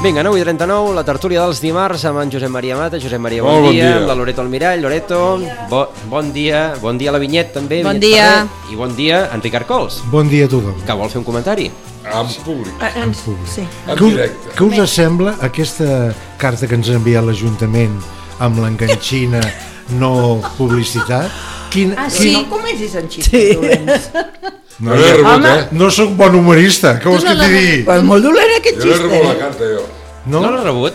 Vinga, 9:39, la tertúlia dels dimarts amb en Josep Maria Mata. Josep Maria, bon dia. Amb la Loreto Almirall. Loreto, bon dia. Bon dia a la Vinyet, també. Bon dia. I bon dia a en Ricard Cols. Bon dia a tothom. Que vol fer un comentari? En públic. En públic. Sí. Què us sembla aquesta carta que ens ha enviat l'Ajuntament amb l'enganxina no publicitat? Sí. No comencis en xistes dolents. No l'he rebut, No sóc bon humorista, què vols que t'hi digui? Però és molt dolent aquest Jo l'he rebut la xiste. carta, jo. No l'has rebut?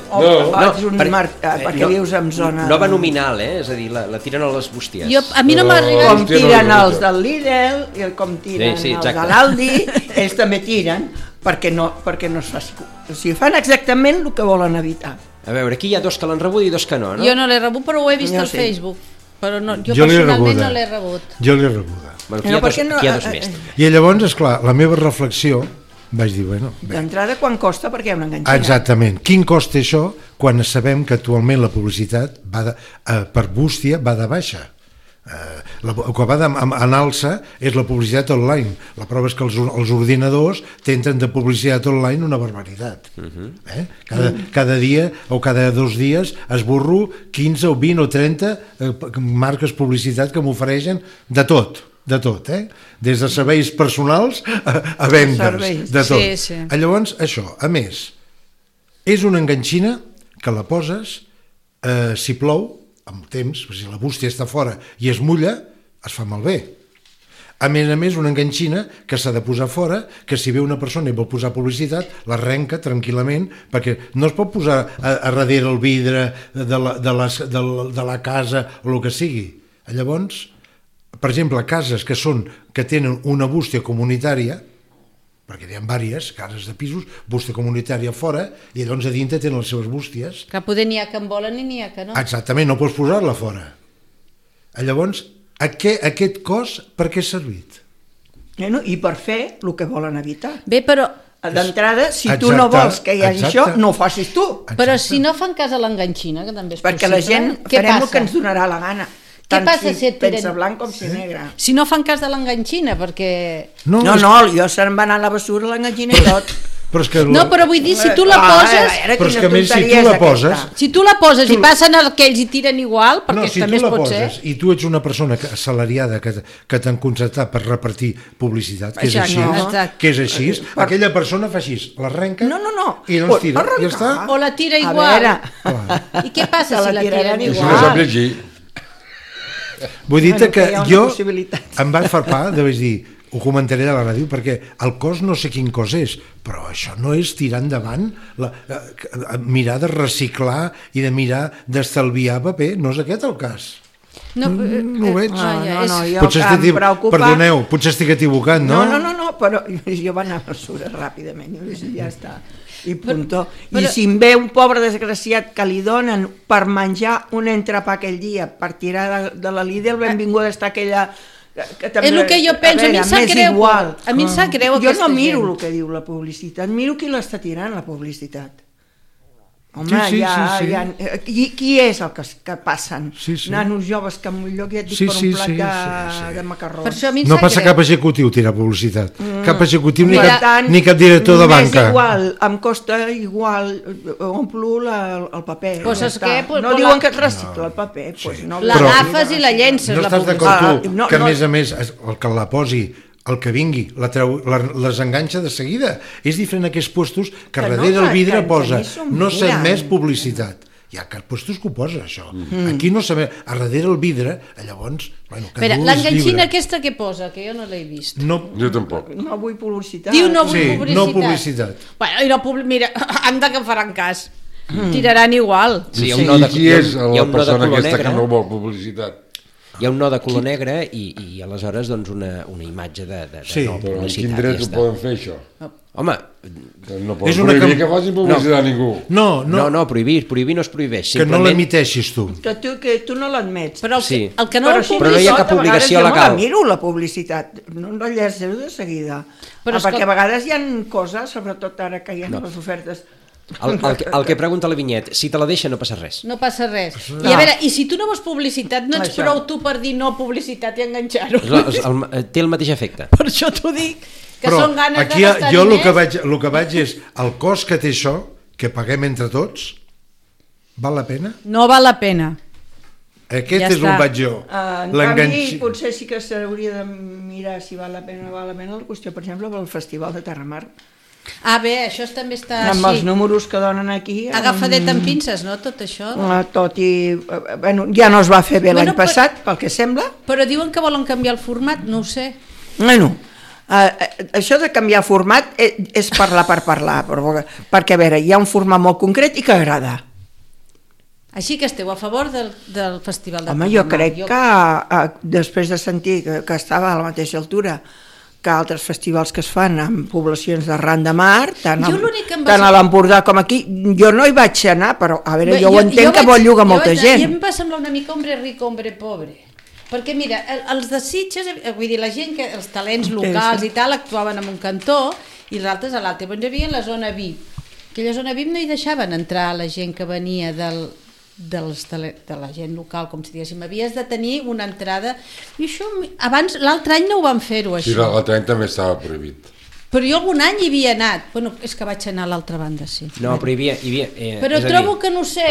Perquè vius en zona... Nova nominal, és a dir, la tiren a les bústies. A mi no m'ha arribat. Com tiren els del Lidl i com tiren els de l'Aldi, ells també tiren perquè no es faci... O sigui, fan exactament el que volen evitar. A veure, aquí hi ha dos que l'han rebut i dos que no, no? Jo no l'he rebut, però ho he vist al Facebook. Però jo personalment no l'he rebut. Jo l'he rebuda. Bueno, aquí hi ha dos més. I llavors, esclar, la meva reflexió, vaig dir, bueno... D'entrada, quan costa perquè hi ha una enganxina? Exactament. Quin cost té això quan sabem que actualment la publicitat per bústia va de baixa? El que va en alça és la publicitat online. La prova és que els ordinadors tenen de publicitat online una barbaritat. Cada dia o cada 2 dies esborro 15 o 20 o 30 marques publicitat que m'ofereixen de tot, des de serveis personals a vendes, de tot. Sí. Llavors, això, a més, és una enganxina que la poses, si plou, amb temps, si la bústia està fora i es mulla, es fa malbé. A més, una enganxina que s'ha de posar fora, que si ve una persona i vol posar publicitat, l'arrenca tranquil·lament, perquè no es pot posar a darrere el vidre de la casa o el que sigui. Llavors, per exemple, cases que tenen una bústia comunitària, perquè hi ha diverses cases de pisos, bústia comunitària fora, i llavors a dintre tenen les seves bústies. Que poder n'hi ha que en volen i n'hi ha que no. Exactament, no pots posar-la fora. Llavors, aquest cos per què ha servit? I per fer el que volen evitar. Bé, però... D'entrada, si tu no vols que hi hagi això, no ho facis tu. Però si no fan cas a l'enganxina, que també és possible... Perquè la gent farem el que ens donarà la gana. Què passa si et pensa blanc com si negre? Si no fan cas de l'enganxina, perquè... No, jo se'n va anar a la bessura l'enganxina i tot. No, però vull dir, si tu la poses... Però és que a més, si tu la poses... Si tu la poses i passen aquells i tiren igual, perquè també es pot ser... No, si tu la poses i tu ets una persona assalariada que t'han contractat per repartir publicitat, que és així, aquella persona fa així, l'arrenca i no es tira, i ja està. O la tira igual. I què passa si la tiren igual? Vull dir que jo em va farpar de dir, ho comentaré a la ràdio, perquè el cos no sé quin cos és, però això no és tirar endavant, mirar de reciclar i de mirar d'estalviar paper, no és aquest el cas. No ho veig. Perdoneu, potser estic equivocat, no? No, però jo vaig anar a mesura ràpidament i ja està. I punto. I si em ve un pobre desgraciat que li donen per menjar un entrepà aquell dia, per tirar de la Lidl, benvinguda està aquella... És el que jo penso, a mi em sap greu. A mi em sap greu aquesta gent. Jo no miro el que diu la publicitat, miro qui l'està tirant, la publicitat. Home, qui és el que passen? Nanos joves que en un lloc ja et dic per un plat de macarrons. No passa cap executiu tirar publicitat, cap executiu ni cap director de banca. És igual, em costa igual, omplo el paper. No diuen que es recicla el paper. L'agafes i la llences. No estàs d'acord tu que a més el que la posi, el que vingui, les enganxa de seguida. És diferent aquests puestos que darrere el vidre posa no s'ha més publicitat. Hi ha puestos que ho posa, això. Aquí no s'ha més. A darrere el vidre, llavors... L'enganxina aquesta que posa, que jo no l'he vist. Jo tampoc. No vull publicitat. Diu no vull publicitat. Sí, no publicitat. Mira, anda que faran cas. Tiraran igual. I qui és la persona aquesta que no vol publicitat? Hi ha un no de color negre i aleshores doncs una imatge de no publicitat. Però en quin dret ho poden fer, això? Home... No poden prohibir que facin publicitat a ningú. No, prohibir no es prohibeix. Que no l'emiteixis tu. Que tu no l'admets. Però el que no però no hi ha cap obligació legal. Jo no la miro, la publicitat. No la llegeixo de seguida. Perquè a vegades hi ha coses, sobretot ara que hi ha les ofertes... El que pregunta la Vinyet, si te la deixa no passa res. No passa res. I a veure, i si tu no vols publicitat, no ets prou tu per dir no publicitat i enganxar-ho? Té el mateix efecte. Per això t'ho dic, que són ganes de gastar diners. Jo el que vaig és el cost que té això, que paguem entre tots, val la pena? No val la pena. Aquest Ja és està. on vaig jo. En canvi, potser sí que s'hauria de mirar si val la pena o no val la pena la qüestió, per exemple, pel Festival de Terramar. Bé, això també està Amb els així. números que donen aquí... Agafadet amb pinces, no?, tot això. Tot i... Bueno, ja no es va fer bé l'any passat, pel que sembla. Però diuen que volen canviar el format, no ho sé. Bueno, això de canviar format és parlar per parlar, perquè, a veure, hi ha un format molt concret i que agrada. Així que esteu a favor del Festival de Home, jo crec que després de sentir que estava a la mateixa altura que altres festivals que es fan en poblacions d'arran de mar, tant a l'Empordà com aquí, jo no hi vaig anar, però a veure, jo ho entenc que vol llogar molta gent. I em va semblar una mica hombre rico, hombre pobre. Perquè mira, els de Sitges, vull dir, la gent, els talents locals i tal, actuaven en un cantó i els altres a l'altre. Llavors hi havia la zona VIP. Aquella zona VIP no hi deixaven entrar la gent que venia de la gent local, com si diguéssim, havies de tenir una entrada, i això abans, l'altre any no ho van fer-ho, això. Sí, l'altre any també estava prohibit. Però jo algun any hi havia anat. Bueno, és que vaig anar a l'altra banda, sí. No, però hi havia però trobo que no sé.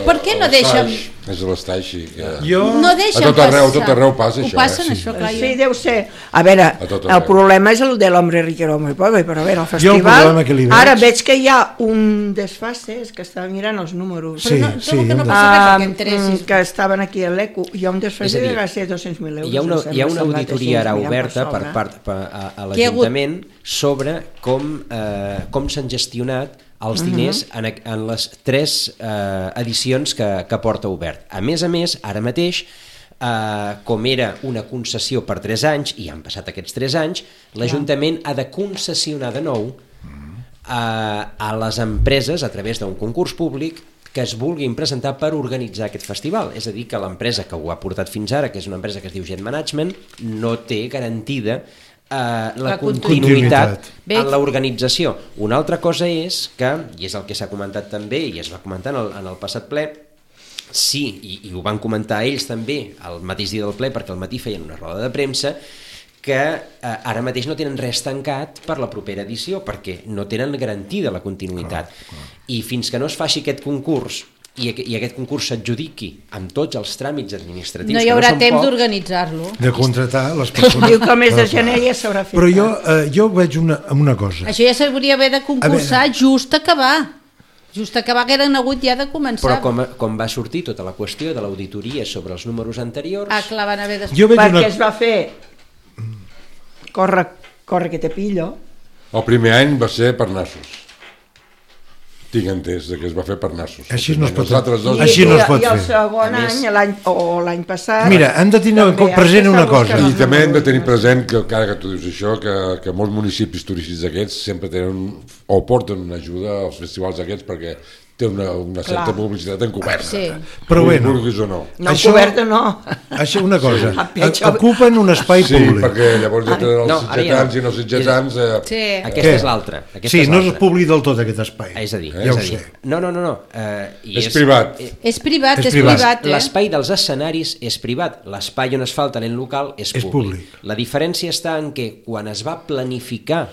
Per què no deixen... És l'estaix, sí. No deixen passar. A tot arreu passa això. Ho passen, això, clar. Sí, deu ser. A veure, el problema és el de l'hombre rico, l'home pobre, però a veure, el festival... Ara veig que hi ha un desfase, és que estava mirant els números. Però trobo que no passa res perquè entressis. Que estaven aquí a l'ECO. Hi ha un desfase de gairebé 200.000 euros. Hi ha una auditoria ara oberta per part a l'Ajuntament sobre com s'han gestionat els diners en les 3 edicions que porta obert. A més, ara mateix, com era una concessió per 3 anys, i han passat aquests 3 anys, l'Ajuntament ha de concessionar de nou a les empreses, a través d'un concurs públic, que es vulguin presentar per organitzar aquest festival. És a dir, que l'empresa que ho ha portat fins ara, que és una empresa que es diu Jet Management, no té garantida la continuïtat en l'organització. Una altra cosa és que, i és el que s'ha comentat també i es va comentar en el passat ple, sí, i ho van comentar ells també el mateix dia del ple, perquè al matí feien una roda de premsa, que ara mateix no tenen res tancat per la propera edició, perquè no tenen garantida la continuïtat. I fins que no es faci aquest concurs i aquest concurs s'adjudiqui amb tots els tràmits administratius, no hi haurà temps d'organitzar-lo, de contratar les persones. Diu que el mes de gener ja s'haurà fet. Però jo veig una cosa. Això ja s'hauria d'haver de concursar just acabar, que eren hagut ja de començar. Però com va sortir tota la qüestió de l'auditoria sobre els números anteriors... clar, van haver de... Perquè es va fer corre que te pillo. El primer any va ser per nassos. Tinc entès que es va fer per nassos. Així no es pot fer. I el segon any, l'any passat... Mira, hem de tenir present una cosa. I també hem de tenir present que, encara que tu dius això, que molts municipis turístics aquests sempre tenen o porten una ajuda als festivals aquests perquè té una certa publicitat encoberta. Sí. Però bueno, no encoberta no. Això una cosa, ocupen un espai públic. Sí, perquè llavors ja tenen els sitgetans i no sitgetans... Aquesta és l'altra. Sí, no és públic del tot aquest espai. És a dir, no. És privat. És privat. L'espai dels escenaris és privat, l'espai on es fa el talent local és públic. La diferència està en que quan es va planificar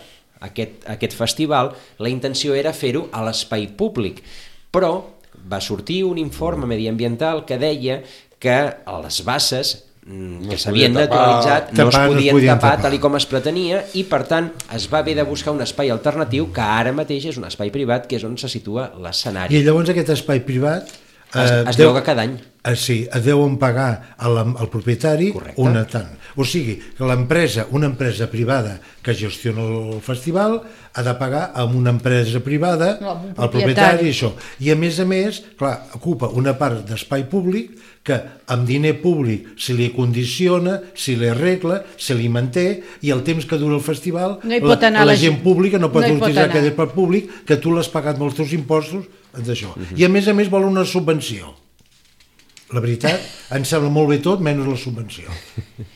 aquest festival, la intenció era fer-ho a l'espai públic, però va sortir un informe mediambiental que deia que les basses que s'havien naturalitzat no es podien tapar tal com es pretenia, i per tant es va haver de buscar un espai alternatiu que ara mateix és un espai privat, que és on se situa l'escenari. I llavors aquest espai privat es lloga cada any. Sí, deuen pagar al propietari una tant. O sigui, que una empresa privada que gestiona el festival ha de pagar a una empresa privada al propietari, això. I a més, clar, ocupa una part d'espai públic que amb diner públic se li condiciona, se li arregla, se li manté, i el temps que dura el festival la gent pública no pot utilitzar aquest espai públic que tu l'has pagat amb els teus impostos d'això. I a més vol una subvenció. La veritat, em sembla molt bé tot, menys la subvenció.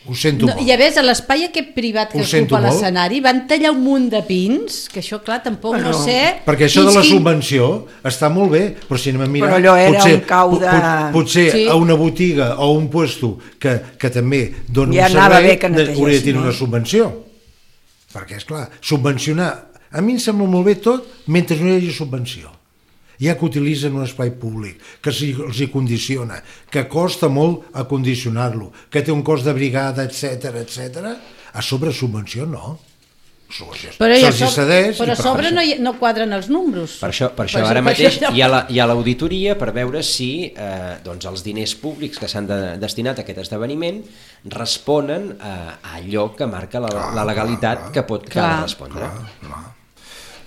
Ho sento molt. I a més, a l'espai aquest privat que ocupa l'escenari van tallar un munt de pins, que això, clar, tampoc no sé... Perquè això de la subvenció està molt bé, però si anem a mirar... Però allò era un cau de... Potser a una botiga o un puesto que també dona un servei hauria de tenir una subvenció. Perquè, esclar, subvencionar... A mi em sembla molt bé tot mentre no hi hagi subvenció. ja que utilitzen un espai públic, que els hi condiciona, que costa molt acondicionar-lo, que té un cost de brigada, etc, a sobre subvenció no. Però a sobre no quadren els números. Per això ara mateix hi ha l'auditoria per veure si els diners públics que s'han destinat a aquest esdeveniment responen a allò que marca la legalitat que pot respondre.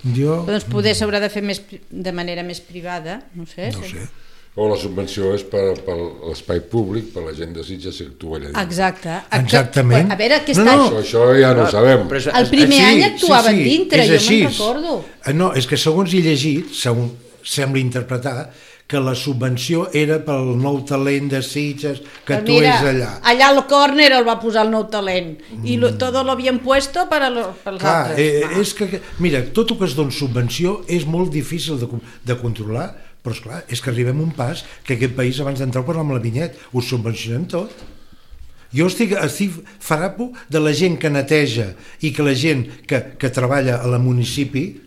Doncs poder s'haurà de fer de manera més privada, no sé. O la subvenció és per l'espai públic, per la gent de Sitges que actua allà dins. Exactament. A veure, aquest any... Això ja no ho sabem. El primer any actuaven dintre, jo me'n recordo. No, és que segons he llegit, sembla interpretar, que la subvenció era pel nou talent de Sitges que actués allà. Allà al córner el va posar el nou talent i tot l'havien puesto pels altres. És que, mira, tot el que es dona subvenció és molt difícil de controlar, però esclar, és que arribem a un pas que aquest país abans d'entrar ho parlàvem amb la Vinyet, ho subvencionem tot. Jo estic farapo de la gent que neteja i que la gent que treballa a la municipi,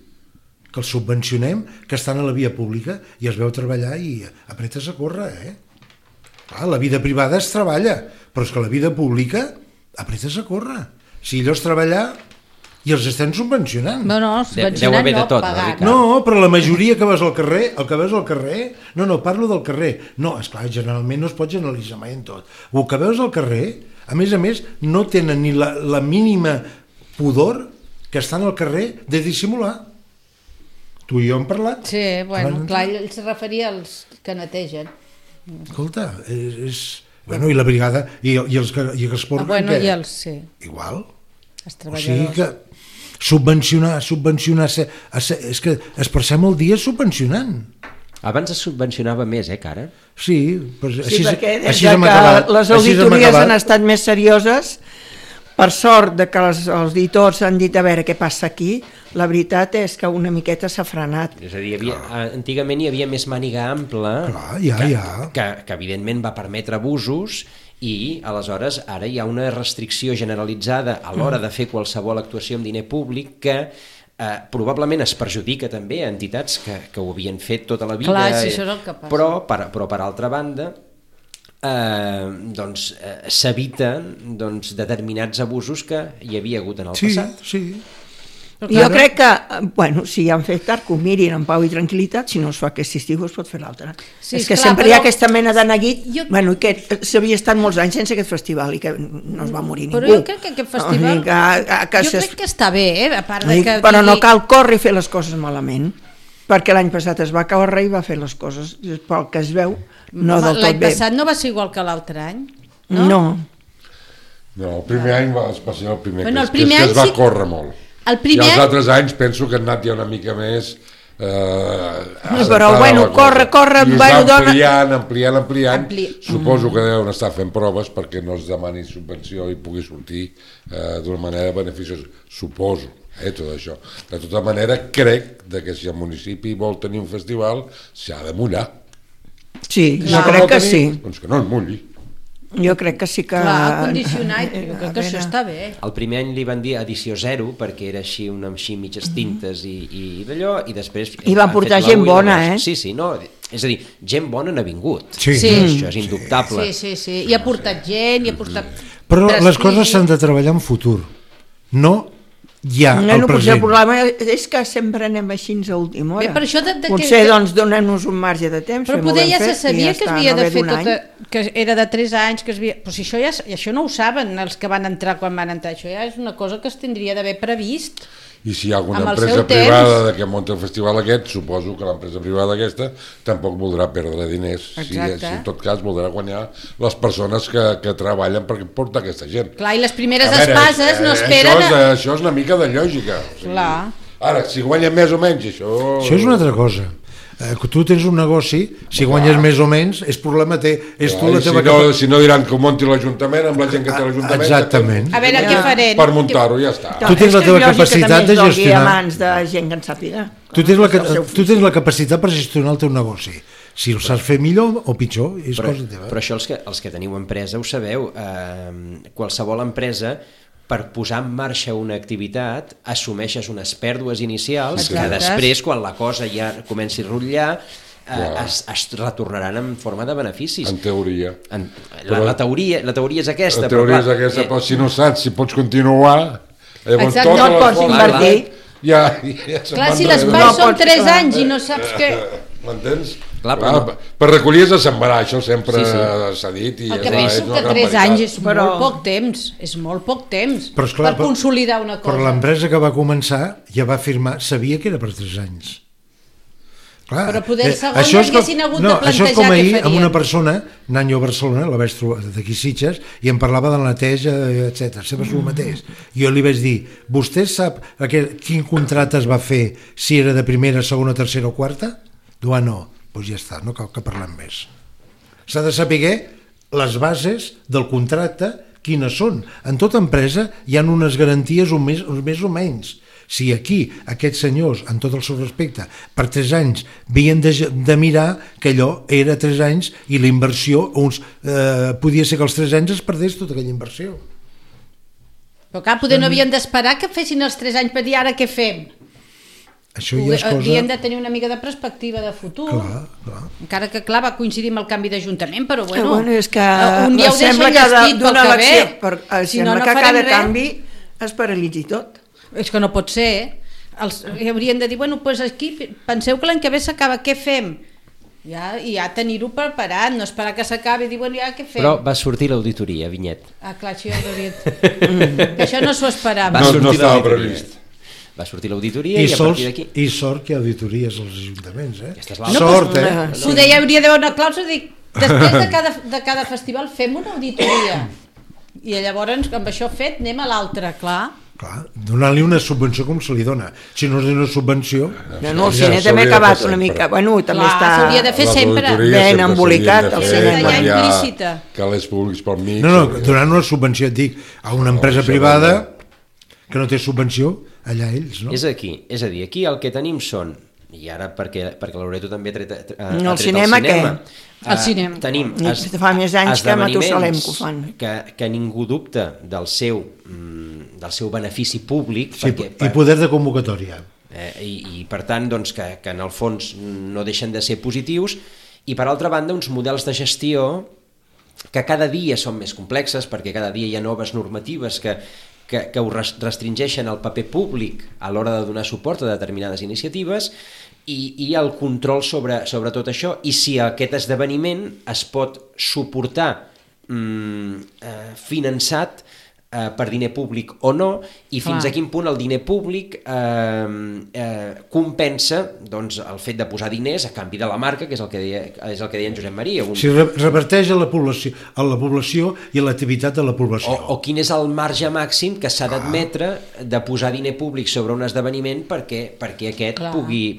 que els subvencionem, que estan a la via pública i es veu treballar i apretes a córrer, Clar, la vida privada es treballa, però és que la vida pública apretes a córrer. Si allò és treballar i els estem subvencionant. No, subvencionant no, pagat. No, però la majoria que veus al carrer, no, parlo del carrer. No, esclar, generalment no es pot generalitzar mai en tot. El que veus al carrer, a més, no tenen ni la mínima pudor que estan al carrer de dissimular. Tu i jo hem parlat. Sí, bueno, clar, ell se referia als que netegen. Escolta, Bueno, i la brigada, i els que es porten... Bueno, i els, sí. Igual. Els treballadors. O sigui que subvencionar... És que es passem el dia subvencionant. Abans es subvencionava més, Cara? Sí, sí, perquè des que les auditories han estat més serioses, per sort de que els auditors han dit a veure què passa aquí, la veritat és que una miqueta s'ha frenat. És a dir, antigament hi havia més màniga ampla, que evidentment va permetre abusos, i aleshores ara hi ha una restricció generalitzada a l'hora de fer qualsevol actuació amb diner públic que probablement es perjudica també a entitats que ho havien fet tota la vida. Clar, si això és el que passa. Però per altra banda s'eviten determinats abusos que hi havia hagut en el passat. Sí. Jo crec que, bueno, si han fet tard, que ho mirin en pau i tranquil·litat, si no es fa aquest estiu es pot fer l'altre. Sí, és que clar, sempre hi ha aquesta mena de neguit, bueno, que s'havia estat molts anys sense aquest festival i que no es va morir ningú. Però jo crec que aquest festival, jo crec que està bé, a part de que... Però no cal córrer i fer les coses malament, perquè l'any passat es va córrer i va fer les coses, pel que es veu, no del tot bé. L'any passat no va ser igual que l'altre any, no? No, el primer any va ser el primer, que es va córrer molt. I els altres anys penso que han anat ja una mica més però bueno, corre i es va ampliant. Suposo que deuen estar fent proves perquè no es demani subvenció i pugui sortir d'una manera beneficiosa, suposo, tot això. De tota manera, crec que si el municipi vol tenir un festival s'ha de mullar. Sí, jo crec que sí. Doncs que no es mulli. Jo crec que sí que... Clar, condicionat, jo crec que això està bé. El primer any li van dir edició 0 perquè era així mitges tintes i d'allò, i després... I van portar gent bona, Sí, no, és a dir, gent bona n'ha vingut. Sí. Això és indubtable. Sí, i ha portat gent, i ha portat... Però les coses s'han de treballar en futur, no ja al present. El problema és que sempre anem així a última hora. Potser doncs donem-nos un marge de temps. Però poder ja se sabia que es havia de fer tota... que era de 3 anys, que es havia... Però si això no ho saben els que van entrar quan van entrar, això ja és una cosa que es tindria d'haver previst. I si hi ha alguna empresa privada que munta el festival aquest, suposo que l'empresa privada aquesta tampoc voldrà perdre diners. Si en tot cas voldrà guanyar les persones que treballen per portar aquesta gent. Clar, i les primeres espases no esperen... Això és una mica de lògica. Clar. Ara, si guanyen més o menys, això... Això és una altra cosa. Tu tens un negoci, si guanyes més o menys, és problema és tu la teva... Si no diran que ho monti l'Ajuntament amb la gent que té l'Ajuntament... Exactament. A veure què farem. Per muntar-ho, ja està. Tu tens la teva capacitat de gestionar... mans de gent que en sàpiga. Tu tens la capacitat per gestionar el teu negoci. Si ho saps fer millor o pitjor, és cosa teva. Però això els que teniu empresa ho sabeu. Qualsevol empresa per posar en marxa una activitat assumeixes unes pèrdues inicials que Exacte. després, quan la cosa ja comenci a rotllar, es retornaran en forma de beneficis. En teoria. La teoria és aquesta. La teoria és aquesta, però si no saps si pots continuar, llavors Exacte, tot no et pots invertir. Ja Clar, si l'espai són 3 anys i no saps què... M'entens? Clar, per recollir és a sembrar, això sempre s'ha dit. I El que penso que 3 anys és molt poc temps, és molt poc temps Però, esclar, per consolidar una cosa. Però l'empresa que va començar ja va afirmar, sabia que era per 3 anys. Clar, Però poder segons això és haguessin hagut de plantejar això és com què ahir farien. amb una persona anant jo a Barcelona, la vaig trobar d'aquí Sitges, i em parlava de la neteja, etc. Sempre és el mateix. Jo li vaig dir, vostè sap quin contracte es va fer si era de primera, segona, tercera o quarta? Diu, no, doncs ja està, no cal que parlem més. S'ha de saber les bases del contracte quines són. En tota empresa hi ha unes garanties més o menys. Si aquí aquests senyors, en tot el seu respecte, per 3 anys havien de mirar que allò era 3 anys i la inversió, podia ser que als 3 anys es perdés tota aquella inversió. Però clar, poder no havien d'esperar que fessin els 3 anys per dir ara què fem. Això ja és cosa... Havien de tenir una mica de perspectiva de futur. Clar. Encara que clar, va coincidir amb el canvi d'Ajuntament, però bueno, és que un dia ho sembla deixen que llestit pel d'una que elecció, ve. Si no, sembla no que farem cada res. canvi es paralitzi tot. És que no pot ser. Haurien de dir, bueno, doncs aquí penseu que l'any que ve s'acaba, què fem? Ja tenir-ho preparat, no esperar que s'acabi i dir, bueno, ja què fem? Però va sortir l'auditoria, Vinyet. Clar, això ja ho hauria que això no s'ho esperava. No estava previst. Va sortir l'auditoria i a partir d'aquí... I sort que hi ha auditories als ajuntaments, Aquesta és l'altra. Sort, Poder ja hauria d'haver una clàusula de dir, després de cada festival fem una auditoria. I llavors, amb això fet, anem a l'altre, clar. Clar, donant-li una subvenció com se li dona. Si no és una subvenció... No, el cine també ha acabat una mica... Bueno, també Clar, està... s'hauria de fer sempre. Ben embolicat, el cinema. Ja implícita. Calés públics pel mig. No, donant una subvenció, et dic, a una empresa privada que no té subvenció, allà ells, no? És a dir, aquí el que tenim són, i ara perquè la Loreto també ha tret el cinema, què? El cinema. Tenim fa més anys que a Matusalem que ho fan. que ningú dubta del seu benefici públic, Sí, i poder de convocatòria. I per tant doncs, que en el fons no deixen de ser positius, i per altra banda uns models de gestió que cada dia són més complexes, perquè cada dia hi ha noves normatives que ho restringeixen el paper públic a l'hora de donar suport a determinades iniciatives i el control sobre tot això, i si aquest esdeveniment es pot suportar finançat per diner públic o no, i fins a quin punt el diner públic compensa doncs, el fet de posar diners a canvi de la marca, que és el que deia en Josep Maria. Si reverteix a la població i a l'activitat de la població. O quin és el marge màxim que s'ha d'admetre de posar diner públic sobre un esdeveniment perquè aquest pugui...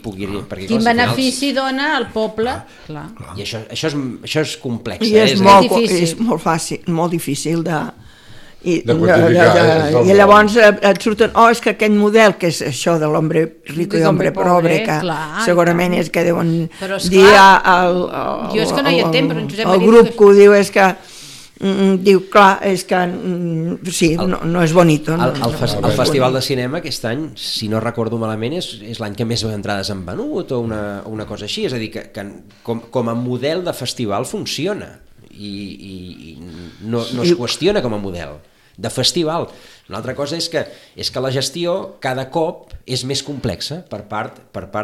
Quin benefici dona al poble. Clar. I això és complex. I és molt fàcil, molt difícil de quantificar. I llavors et surten, és que aquest model, que és això de l'hombre rico i hombre pobre, que segurament és que deuen dir el grup que ho diu, és que diu, clar, és que sí, no és bonito. El Festival de Cinema aquest any, si no recordo malament, és l'any que més entrades han venut o una cosa així, és a dir, que com a model de festival funciona i no es qüestiona com a model de festival. Una altra cosa és que la gestió cada cop és més complexa per part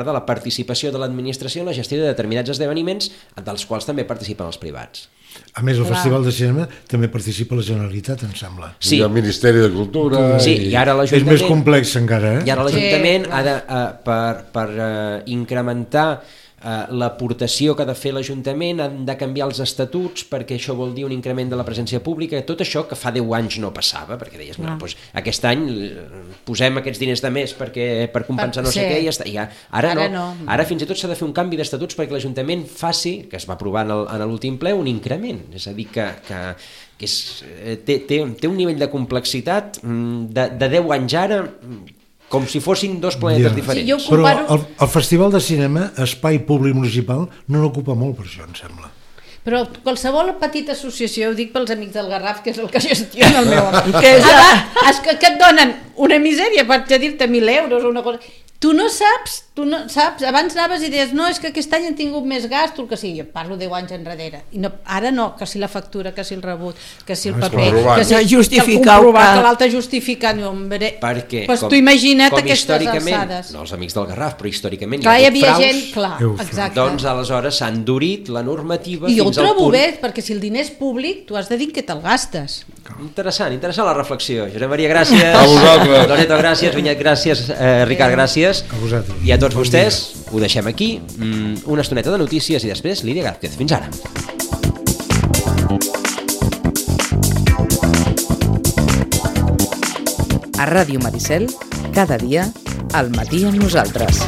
de la participació de l'administració en la gestió de determinats esdeveniments dels quals també participen els privats. A més, el Festival de Cinema també participa la Generalitat, em sembla. Sí. I el Ministeri de Cultura... Sí, i ara l'Ajuntament... És més complex encara, I ara l'Ajuntament ha de, per incrementar l'aportació que ha de fer l'Ajuntament, han de canviar els estatuts perquè això vol dir un increment de la presència pública, tot això que fa 10 anys no passava, perquè deies, doncs, aquest any posem aquests diners de més per compensar no sé què, i ja està. Ara no. Ara fins i tot s'ha de fer un canvi d'estatuts perquè l'Ajuntament faci, que es va aprovar en l'últim ple, un increment, és a dir, que té un nivell de complexitat de 10 anys ara, com si fossin dos planetes diferents. Sí, però el Festival de Cinema, espai públic municipal, no n'ocupa molt per això, em sembla. Però qualsevol petita associació, ho dic pels amics del Garraf, que és el que gestiona el meu amic, que et donen una misèria per dir-te 1.000 euros o una cosa... Tu no saps, abans anaves i deies, no, és que aquest any han tingut més gasto, el que sigui, jo parlo 10 anys enrere, i no, ara no, que si la factura, que si el rebut, que si el paper, que si el comprovar, que l'altre justificar, no, hombre, perquè, pues tu imagina't aquestes alçades. No els amics del Garraf, però històricament clar, hi ha hagut fraus, gent, clar, exacte. Doncs aleshores s'ha endurit la normativa i fins al punt... I jo ho trobo bé, perquè si el diner és públic, tu has de dir que te'l gastes. Interessant la reflexió. Josep Maria, gràcies. A vosaltres. Loreto, gràcies. Vinyet, gràcies. Ricard, gràcies. A vosaltres. I a tots vostès, ho deixem aquí. Una estoneta de notícies i després Lídia Gázquez. Fins ara. A Ràdio Maricel, cada dia, al matí amb nosaltres.